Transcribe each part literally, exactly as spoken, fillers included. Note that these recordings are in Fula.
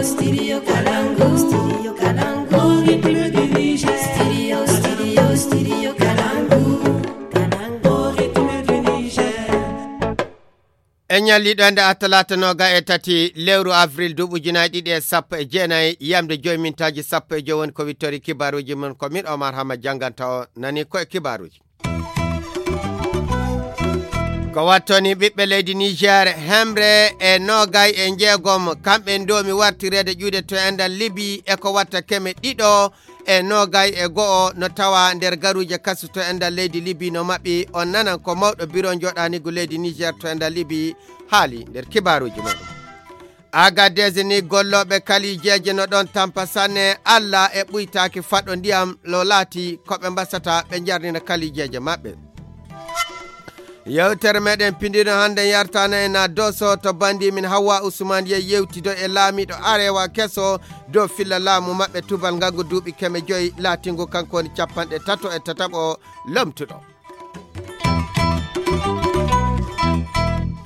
Studio Kalangu, Studio Kalangu, Republique du Niger. Studio, Studio, Studio Kalangu, Kalangu, Republique du Niger. En ñalliɗo ende a talaata noga e tati lewru avril duuɓi ujunaaji ɗiɗi e sappo e jeenayi, yamde joyi mintaaji sappo e joyi woni ko wittori kibaaruuji mon. Ko min Omar Hama jannganta o nani ko e kibaaruuji. Ko wattoni ɓiɓɓe leydi Niger hemre e nogay e jeegom, kamɓe ndoomi wartireede ƴuude to enɗan Libi e ko watta keme ɗiɗo e nogay e go'o no tawa nder garuuje kasu to enɗan leydi Libi no maɓɓi. On nanan ko mawɗo biro joɗanigu leydi Niger to enɗan Libi haali nder kibaaruuji muɗum. Agadez ni gollooɓe kalijeeje no ɗon tampa sanne, Alla e ɓuytaaki faɗo ndiyam lo laati ko ɓe mbasata ɓe njarnina kalijeeje maɓɓe. Yewtere meɗen pindino hannde yartana en a Doso to bandi min Hawwa Usman ye yewtido e laamiɗo arewa keso dow filla laamu maɓɓe tubal ngangu duuɓi keme joyi laatingu kanko woni capanɗe tato e tataɓo lomtuɗo.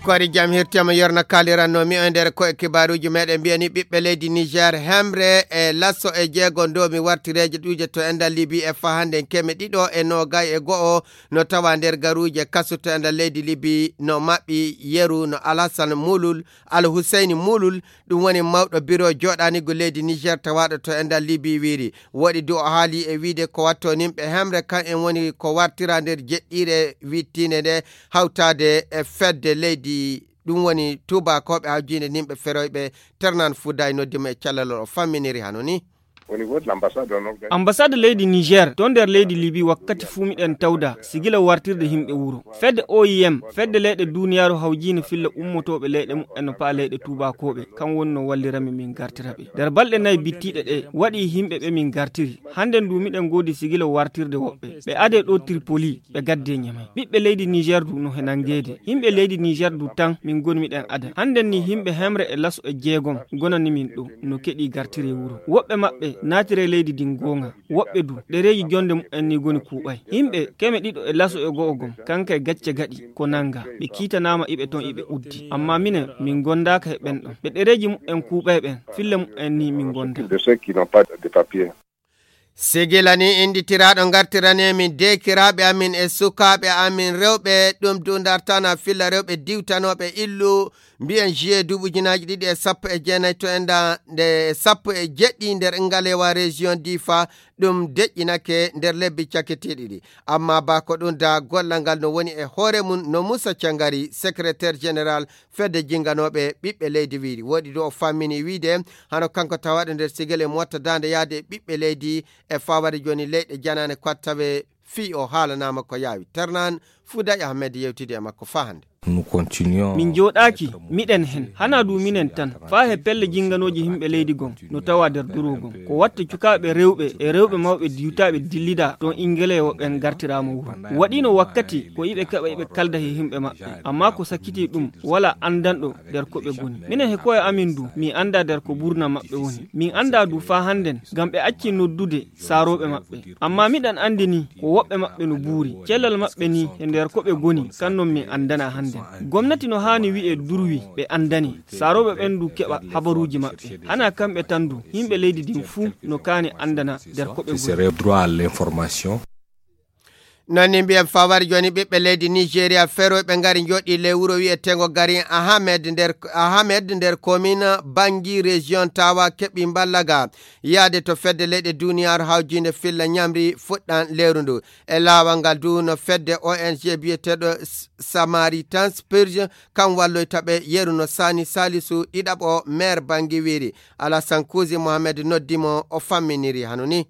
Kori jam hirtema yorna kaliranno mi o nder ko e kibaaruuji meɗen mbiyani ɓiɓɓe leydi Niger hemre e lasso e jeego ndomi wartireeje ɗuuje to enɗan Libi e fa hannde keme ɗiɗo e nogay e go'o no tawa nder garuuje kasu to enɗan leydi Libi no maɓɓi yeru no Alhassan Mulul, Alhuseyni Mulul, ɗum woni mawɗo biro joɗanigu leydi Niger tawaɗo to enɗan Libi wiiri. Woɗi du o haali e wiide ko watto nimɓe hemre kan en woni ko wartira nder jeɗɗire wittinde nde hawtade e fedde leydi, ɗum woni tubakoɓe hawjinde nimɓe feroyɓe. Ternan Fuday noddi mo e callalol o famminiri hano ni. Ambassade leydi Niger to nder leydi Libi wakkati fuu miɗen tawda sigila wartirde yimɓe wuro. Fedde O I M, fedde leyɗe duniyaaru hawjiinde filla ummotooɓe leyɗe mumen no paa leyɗe tuubakooɓe, kam woni no wallirami min gartira ɓe. Nder balɗe nayi bittiiɗe ɗe, waɗi yimɓe ɓe min gartiri. Hannden du miɗen ngoodi sigila wartirde woɓɓe. Ɓe adee ɗo Tripoli, ɓe gaddee Ñamay. Ɓiɓɓe leydi Niger du no he nanngeede. Yimɓe leydi Niger du tan min ngoni miɗen ada. Hannden ni yimɓe hemre e laso e jeegom gonani min ɗo, no keɗii gartire wuro. Woɓɓe maɓɓe naatire leydi ndin goonga. Woɓɓe du, ɗereeji jonde mumen ni goni kuuɓay. Yimɓe keme ɗiɗo e laso e go'o gom, kanka e gacce gaɗi, ko nanga. Ɓe kiitanaama iɓe ton iɓe uddi. Amma minen, min gondaaka he ɓen ɗon. Ɓe ɗereeji mumen kuuɓay ɓen, filla mumen ni min gonda. De ceux qui n'ont pas de papier. Sigila ni innditiraaɗo ngartirani min deekiraaɓe amin e sukaaɓe amin rewɓe, ɗum du ndartana filla rewɓe diwtanooɓe illu, mbiyen juillet duuɓi ujunaaji ɗiɗi e sappo e jeenayi to enda nde sappo e jeɗɗi nder ngalewa région Difa, ɗum deƴƴinake nder lebbi cakketeeɗi ɗi. Amma ba ko ɗum da gollal ngal no woni e hoore mum no Moussa Thiangari, secrétaire général fedde jinganooɓe ɓiɓɓe leydi wiiri. Woɗi du o fammini wiide hano kanko tawaɗo nder sigel e mo watta daande yaade e ɓiɓɓe leydi e fawade jooni leyɗe janaane ko tawe fii o haalanaama ko yaawi. Ternan Fouday Ahmed yewtidi e makko faa hannde. Nous continuons. Min jooɗaaki, miɗen hen. Hanaa du minen tan. Faa he pelle jinnganooji yimɓe leydi gom, no tawa nder duru gom. Ko watta cukaaɓe rewɓe e rewɓe mawɓe diwtaaɓe dillida ɗon Ingelewo ɓen gartiraama wuro. Waɗiino wakkati ko iɓe keɓa iɓe kalda he yimɓe maɓɓe. Amma ko sakkitii ɗum, walaa anndanɗo nder ko ɓe goni. Minen he koye amin du, mi anndaa nder ko ɓurna maɓɓe woni. Min anndaa du faa hannden, ngam ɓe acci noddude saarooɓe maɓɓe. Amma miɗen anndi ni ko woɓɓe maɓɓe no buuri. Cellal maɓɓe ni e nder ko ɓe goni, kan non min anndana hannden. Gomnati no haani wi'e durwi ɓe anndani. Saarooɓe ɓen du keɓa habaruuji maɓɓe. Hanaa kamɓe tan du, yimɓe leydi ndin fuu no kaani anndana nder ko ɓe goni. Droit à l'information. Non ni mbiyen fawar jooni ɓiɓɓe leydi Nigeria feroyɓe ngari njoɗi ley wuro wi'eteengo Garin Ahamed nder, Ahamed nder commune Bangi région Tawa keɓi mballaga yaade to fedde leyɗe duniyaaru hawjiinde filla ñamri fuɗɗan lewru ndu. E laawol ngal du no fedde O N G biyeteeɗo S-, Samaritan Spurge kan walloyta ɓe yeru no Sani Salisu ɗiɗaɓo maire Bangi wiiri. Alasan Kuusi Mohamed noddi mo o famminiri hano ni.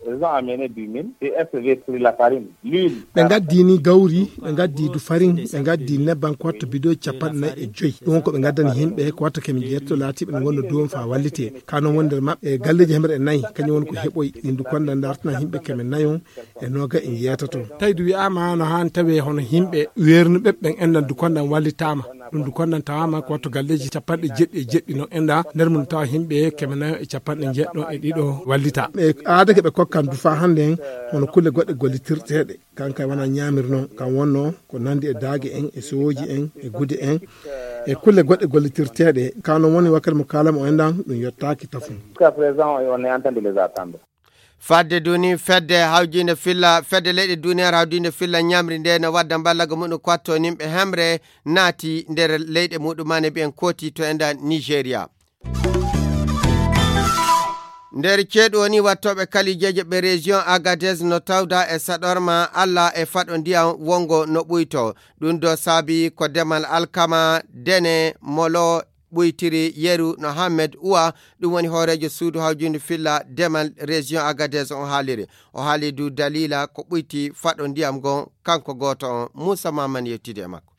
Ils ont amené du mil et S V sur la farine, l'huile. Ɓe ngaddi ni gawri, ɓe ngaddi du farin, ɓe ngaddi nebban ko watta bidoji capanɗe nayi e joyi. Ɗum ko ɓe ngaddani yimɓe ko watta kemi jeetto laatiɓe ne ngonna duwon fa wallite. Kano wonde maɓɓe galleji hemre e nayi, kañum woni ko heɓoy ɗin du konda dartana yimɓe kemi nayon e noga e jeetato. Tawi du wi'ama no han tawe hono yimɓe wernuɓe ɓen endan du konda wallitama. Ɗum du konnan tawaama ko watto galleeji capanɗe jeɗɗi e jeɗɗi no enɗa, nder mum tawa himɓe keme nayo e capanɗe jeɗɗo e ɗiɗo wallita. Ɓe aadake ɓe kokkan du faa hannde en, hono kulle goɗɗe gollitirteeɗe. Kan kay wona ñaamir noon, kan wonno ko nandi e daage en, e sowooji en, e gude en, e kulle goɗɗe gollitirteeɗe. Kan noon woni wakkati mo kaalamo enɗan, ɗum yottaaki tafum. Jusqu'à présent, on est en train de les attendre. Fadde duni fedde hawjinde filla, fedde leyɗe duniyaaru hawjinde filla ñamri nde no wadda mballaga muɗum ko watto nimɓe hemre naati nder leyɗe muɗum mane mbiyen kooti to enda Nigeria. Nder ceeɗu woni wattoɓe kalijeje ɓe région Agadez no tawda e saɗorma Allah e faɗo ndiyam wongo no ɓuyto. Ɗum do saabi ko demal alkama, dene, molo, ɓuytiri yeru no Hammed Uwa, ɗum woni hooreejo suudu hawjundu filla demal région Agadez on haaliri. O haali du dalila ko ɓuyti faɗo ndiyam ngon, kanko gooto on. Muusa Maman yettidi e makko.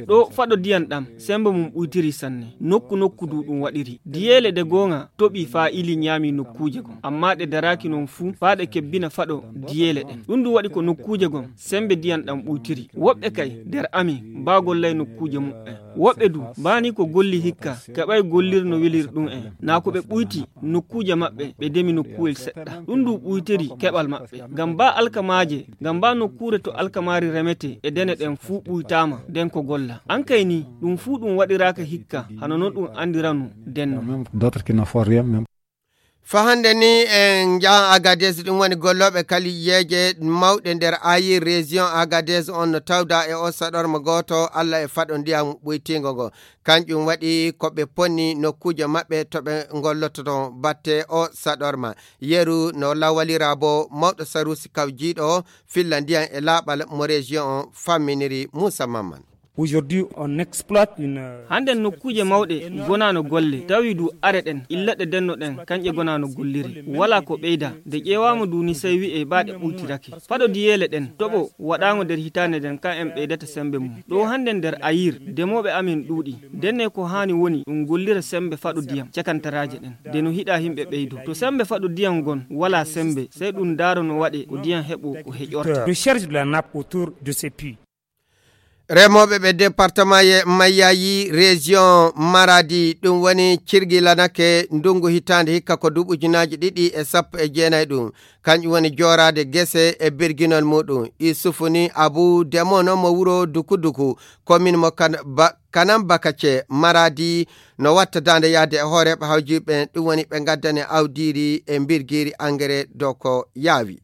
Ɗo faɗo ndiyam ɗam, sembe mum ɓuytiri sanne. Nokku nokku du ɗum waɗiri. Diyeele ɗe goonga toɓi faa ili ñaami nokkuuje gom. Amma ɗe daraaki non fuu faa ɗe kebbina faɗo diyeele ɗen. Ɗum du waɗi ko nokkuuje gom, sembe ndiyam ɗam ɓuytiri. Woɓɓe kay nder amin, baa gollay nokkuuje muɓɓen. Woɓɓe du, baa ni ko golli hikka, keɓay gollir no welir ɗum en. Naa ko ɓe ɓuyti nokkuuje maɓɓe, ɓe demi nokkuwel seɗɗa. Ɗum du ɓuytiri keɓal maɓɓe. Ngam baa alkamaaje, ngam baa nokkuure to alkamaari remetee e dene ɗen fuu ɓuytaama, nden ko golla. An kay ni, ɗum fuu ɗum waɗiraaka hikka, hano no ɗum andirano denno. Même d'autres qui ne font rien, même. Fa hannde ni en njahan Agadez, ɗum woni gollooɓe kaliyeeje mawɗe nder Ayir région Agadez on no tawda e o saɗorma gooto Allah e faɗo ndiyam ɓuytiingo ngo. Kanƴum waɗi ko ɓe ponni nokkuuje maɓɓe to ɓe ngollototo batte o saɗorma. Yeru no lawalira bo mawɗo sarusi kawjiiɗo filla ndiyam e laaɓal mo région on famminiri Muusa Mamman. Aujourd'hui, on exploite une. Hannden nokkuuje mawɗe gonaano golle, tawi du are ɗen, illa ɗe denno ɗen, kanƴe gonaano golliri. Walaa ko ɓeyda, de ƴeewaama du ni sey wi'ee baa ɗe ɓuytirake. Faɗo diyeele ɗen, toɓo waɗaango nder hitaande nden, kan en ɓeydata sembe mum. Ɗo hannden nder Ayir, demooɓe amin ɗuuɗi. Ndenne ko haani woni ɗum gollira sembe faɗo diyam, cakantaraaje ɗen. De no hiɗaa himɓe ɓeydo. To sembe faɗo diyam ngon, walaa sembe, sey ɗum ndaaro no waɗee ko diyam heɓo ko heƴorta. De charge de la nappe autour de ces puits. Remooɓe ɓe département ye Mayayi, région Maradi, ɗum woni cirgilanake ndungu hitaande hikka ko duuɓi ujunaaji ɗiɗi e sappo e jeenayi ɗum. Kanƴum woni jooraade gese e birginol muɗum. Isufu ni Abu Demono mo wuro Duku Duku, commune mo Kan-, Ba-, Kanam Bakace, Maradi, no watta daande yahde e hooreeɓe hawjiiɓe ɓen, ɗum woni ɓe ngaddane awdiiri e mbirgiiri engrais dow ko yaawi.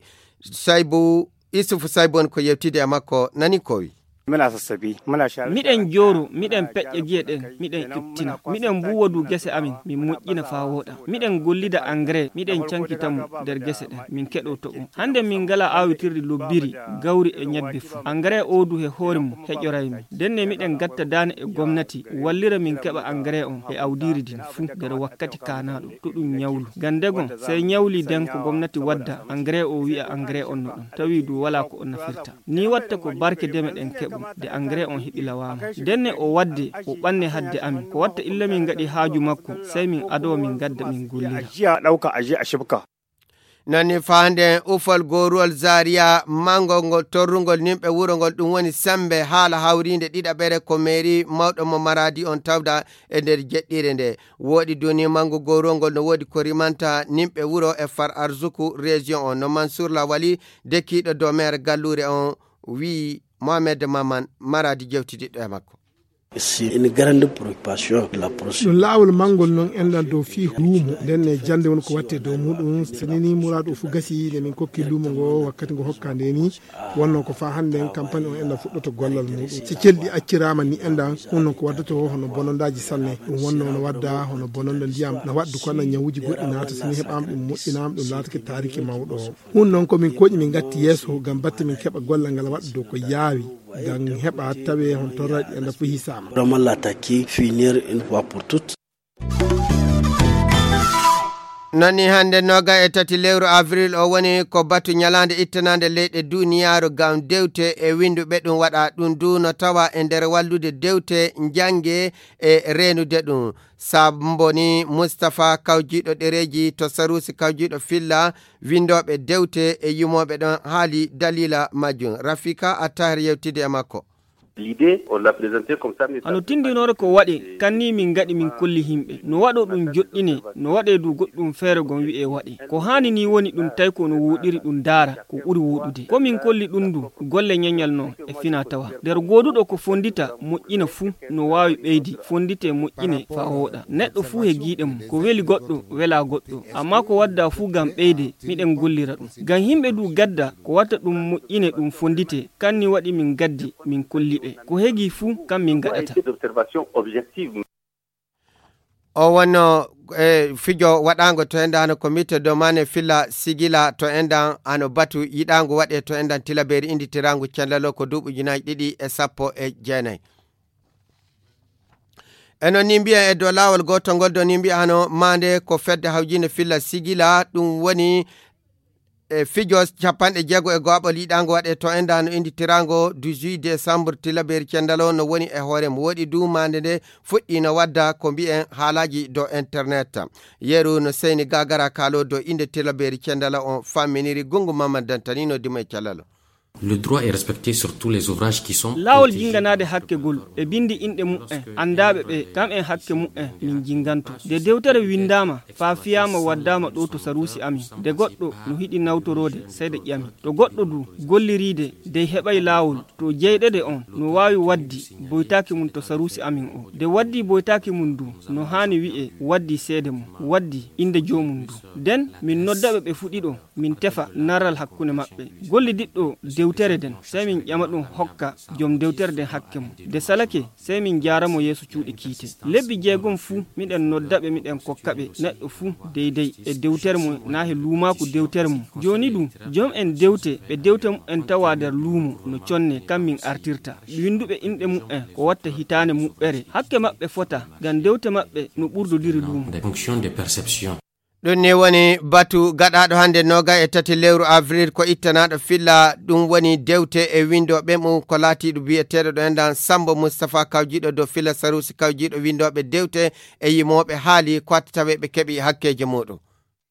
Saybu Isufu Saybon ko yewtide e makko nani ko wi. Muna sassabi, muna share. Miɗen jooro, miɗen peƴƴa gi'e ɗen, miɗen ittina. Miɗen mbuuwa du gese amin, min moƴƴina faa wooɗa. Miɗen gollida engrais, miɗen cankita mo nder gese ɗen, min keɗoo toɓo. Hannde min ngalaa aawitirdi lobbiri, gawri e ñebbe fuu. Engrais oo du he hoore mum heƴoray min. Ndenne miɗen gatta daane e gomnati, wallira min keɓa engrais on e awdiiri din fuu nder wakkati kaanaaɗo, to ɗum ñawlu. Ngam ndegon, sey ñawli den ko gomnati wadda, engrais oo wi'a engrais on no ɗon, tawi du walaa ko on nafirta. Ni watta ko barke deme ɗen keɓo, de engrais on heɓi lawaama. Ndenne o wadde, o ɓanne hadde amin. Ko watta illa min ngaɗi haaju makko, sey min adoo min gadda min gollira. Ajiya ɗauka aje a shibka. Nani faande ufal goruwal Zaria, mango ngol torrungol nimɓe wuro ngol, ɗum woni sembe haala hawriinde ɗiɗaɓere ko meeri mawɗo mo Maradi on tawda e nder jeɗɗire nde. Woɗi duni mango goruwal ngol no woodi ko rimanta nimɓe wuro e far arzuku région on. No Mansour Lawali, dekiiɗo dow maire galluure on, wi Mohamed Maman Maradi jewtidiɗɗo e makko. C'est une grande préoccupation de la procédure. Ɗum laawol manngol noon enɗan dow fii luumo, nden ne jannde woni ko watte dow muɗum. So nini muraadu o fof gasi, nde min kokki luumo ngo, wakkati ngo hokka nde ni, wonno ko faa hannde en campagne o enɗan fuɗɗoto gollal muɗum. So celɗi acciraama ni enɗan, ɗum noon ko waddoto hono bonondaaji sanne. Ɗum wonno no wadda hono bononda ndiyam, na waɗdu kono ñawuuji goɗɗi naata, so ni heɓaama ɗum moƴƴinaama, ɗum laatake taariki mawɗo. Ɗum noon ko min koƴi min ngatti yeeso, ngam batte min keɓa gollal ngal waɗa dow ko yaawi. Ngam heɓa tawee hon torraɗi enɗan fof hisaama. Vraiment l'attaquer, finir une fois pour toutes. Nani hannde nooga e tati lewru avril o woni ko batu ñalaande ittanaande leyɗe duniyaaru ngam dewte e winnduɓe ɗum waɗa. Ɗum du no tawa e nder wallude dewte njannge e reenude ɗum. Sambo ni Mustapha kawjiiɗo ɗereeji to Saruusi kawjiiɗo filla winndooɓe dewte e yumooɓe ɗon haali daliila majjum. Rafika Attahir yewtidi e makko. L'idée, on l'a présentée comme ça, mais hano tindinoore ko waɗe, kan ni min ngaɗi min kolli yimɓe. No waɗo ɗum joɗɗine, no waɗe du goɗɗum feere gon wi'e waɗe. Ko haani ni woni ɗum tawi ko no wuuɗiri ɗum daara, ko ɓuri wuuɗude. Ko min kolli ɗum du, golle ñañal no e fina tawa. Nder gooduɗo ko fondita, moƴƴina fuu, no waawi ɓeydi, fondite moƴƴine faa wooɗa. Neɗɗo fuu he giiɗe mum, ko weli goɗɗo, wela goɗɗo. Amma ko wadda fuu ngam ɓeyde, miɗen gollira ɗum. Ngam yimɓe du gadda, ko watta ɗum moƴƴine ɗum fondite, kan ni waɗi min gaddi, min kolli ɓe. Ko hegi fuu, kan min gaɗata. O wonno e fijo waɗaango to endan comité domane filla sigila to endan ano batu yiɗaango waɗe to endan tilaberi indi tirangu cendalo ko duuɓi ujunaji ɗiɗi e sappo e jeenayi. E noon ni mbiyen e dow laawol gootol ngol ɗo ni mbiyano maande ko fedde hawjinde filla sigila, ɗum woni e fijo capanɗe jeego e go'aɓol yiɗaango waɗe to endan no indi tirango dix-huit décembre tilaberi cendalo no woni e hoore mo woɗi duumande nde fuɗɗi no wadda ko mbiyen haalaji dow internet. Yeru no seyni gagara kaalo dow inde tilaberi cendala on famminiri gungu mamman dantanino dimo e calalo. Le droit est respecté sur tous les ouvrages qui sont laawol protégés. Jinnganaade hakke gol ɓe binndi inɗe mu'en anndaaɓe ɓe kam en hakke mu'en min jinnganto. Nde dewtere winndaama faa fiyaama waddaama ɗo to saruusi amin, nde goɗɗo no hiɗi nawtoroode seyda ƴami to goɗɗo du golliriide dey heɓay laawol to jeyɗede on no waawi waddi boytaaki mum to saruusi amin o. Nde waddi boytaaki mum du no haani wi'e waddi seede mum, waddi innde joomum du. Nden min noddaɓe ɓe fuɗi ɗo min tefa narral hakkunde maɓɓe. Gollidiɗɗo dewtere nden, sey min ƴama ɗum hokka jom dewtere nden hakke mum. Nde salake, sey min njaara mo yeeso cuuɗi kiite. Lebbi jeegom fuu, miɗen nodda ɓe, miɗen kokka ɓe neɗɗo fuu deydey e dewtere mum naa he luumaaku dewtere mum. Jooni du, jom en dewte, ɓe dewte mu'en tawa nder luumo no conne, kam min artirta. Winnduɓe inɗe mu'en ko watta hitaande muɓɓere. Hakke maɓɓe fota, ngam dewte maɓɓe no ɓurdodiri luumo. Fonction de perception. Ɗum ni woni batu gaɗaaɗo hannde nooga e tati lewru avril ko ittanaaɗo filla, ɗum woni dewte e winndooɓe mum ko laatiiɗo biyeteeɗo ɗo enɗan Sammbo Mustapha kawjiiɗo dow filla saruusi kawjiiɗo winndooɓe dewte e yimooɓe haali ko watta taweeɓe keɓi hakkeeji muuɗum.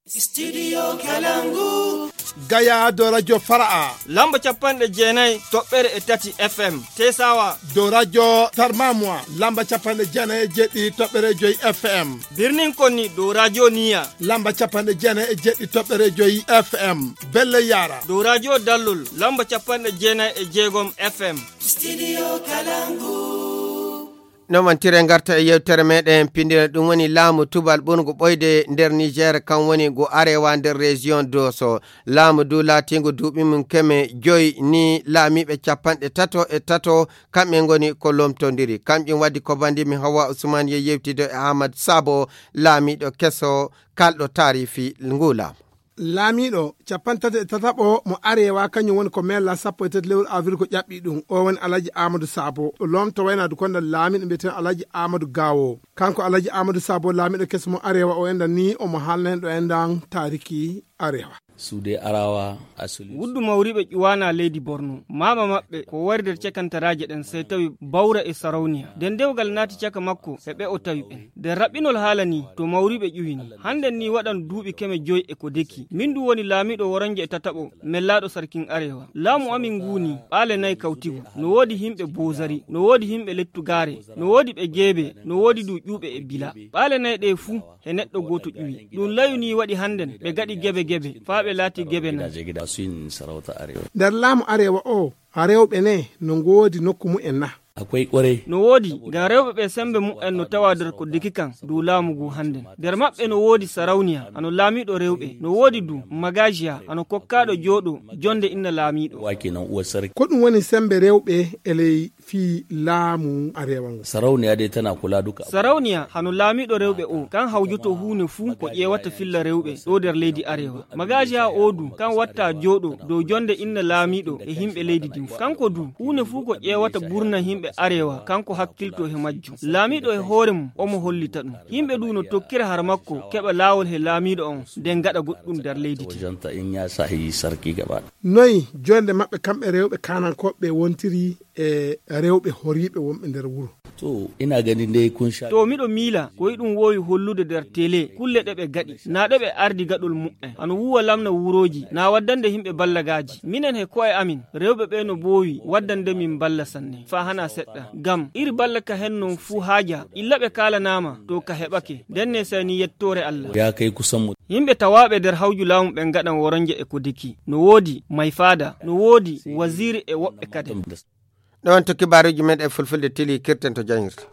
Studio Kalangu. Gaya dow radio Fara'a. Lamba capanɗe jeenayi toɓɓere e tati F M. Tesawa. Dow radio Tarmamwa. Lamba capanɗe jeenayi e jeɗɗi toɓɓere joyi F M. Birnin Konni dow radio Niya. Lamba capanɗe jeenayi e jeɗɗi toɓɓere joyi F M. Belle Yara. Dow radio Dallol. Lamba capanɗe jeenayi e jeegom F M. Studio Kalangu. Noon mantire ngarta e yewtere meɗen pindire ɗum woni laamu tubal ɓurngu ɓoyde nder Niger, kan woni ngu arewa nder région Doso. Laamu du laatingu duuɓi mum keme joyi ni laamiiɓe capanɗe tato e tato kamɓe ngoni ko lomtondiri. Kamƴum waddi ko bandi mi Hawa Usman ye yewtido e Ahmad Sabo, laamiiɗo keso kalɗo taarifi ngu laamu. Laamiiɗo capanɗe tati e tataɓo mo arewa, kañum woni ko mella sappo e tati lewru avril ko ƴaɓɓi ɗum. O woni Alhaji Amadou Sabo. O lomto waynaade konda laamiiɗo mbiyeteeɗo Alhaji Amadou Gawo. Kanko Alhaji Amadou Sabo, laamiiɗo keso mo arewa, o enɗan ni omo haalna en ɗo enɗan taariki arewa. Suude arawa asuli. Wuddu mawriiɓe ƴuwaana leydi Borno. Maama maɓɓe ko wari nder cakantaraaje ɗen, sey tawi Bawra e Sarawniya. Nden dewgal naati caka makko e ɓe o tawi ɓen. Nder raɓɓinol haala ni, to mawriiɓe ƴuwini. Hannden ni waɗan duuɓi keme joy e ko deki. Min du woni laamiiɗo woronje e tataɓo, mellaaɗo sarkin arewa. Laamu amin ngu ni, ɓaale nay kawtigu. No woodi himɓe Bozari, no woodi himɓe Lettugaare, no woodi ɓe Geebe, no woodi du ƴuuɓe e Bila. Ɓaale nay ɗe fuu, he neɗɗo gooto ƴuwi. Ɗum layu ni waɗi hannden, ɓe gaɗi gebe gebe, faa ɓe laati gebe nay. Nder laamu arewa o, rewɓe ne no ngoodi nokku mu'en na? Akwai ƙwarai. No woodi, ngam rewɓe ɓe semmbe mu'en no tawa nder ko deki kan dow laamu ngu hannden. Nder maɓɓe no woodi Sarawniya, hano laamiiɗo rewɓe. No woodi du Magajiya, hano kokkaaɗo jooɗo jonnde inna laamiiɗo. Wa kenan uwar sarki. Ko ɗum woni semmbe rewɓe e ley fii laamu arewa ngu? Sarauniya dai tana kula duka. Sarawniya, hano laamiiɗo rewɓe o, kan hawjoto huune fuu ko ƴeewata filla rewɓe ɗo nder leydi arewa. Magajiya o du, kan watta jooɗo dow jonnde inna laamiiɗo e himɓe leydi ndin fuu. Kanko du, huune fuu ko ƴeewata burna himɓe arewa, kanko hakkilto he majjum. Laamiiɗo e hoore mum, omo hollita ɗum. Himɓe du no tokkira har makko, keɓa laawol he laamiiɗo on, nden gaɗa goɗɗum nder leydi ndin. Wajenta in ya sahi sarki gaba. Noy jonnde maɓɓe kamɓe rewɓe kaanankooɓe wontiri e rewɓe horiiɓe wonɓe nder wuro? To ina ganin dai kun sha to miɗo miila ko iɗum woowi hollude nder tele kulle ɗe ɓe gaɗi, na ɗe ɓe ardi gaɗol muɓɓen, ano wuwa lamna wurooji na waddande yimɓe ballagaaji. Minen he ko'e amin rewɓe ɓe no boowi waddande min balla sanne faa hana seɗɗa. Ngam iri balla ka hen non fuu haaja, illa ɓe kaalanaama to ka heɓake, ndenne sey ni yettoore Allah. Ya kai kusan mu yimɓe tawaaɓe nder hawju laamu ɓen ngaɗan woronje e kodiki. No woodi mayfaada, no woodi waziiri e woɓɓe kade. Ɗo on to kibaaruuji men e fulfulde tili kirten to jangirta.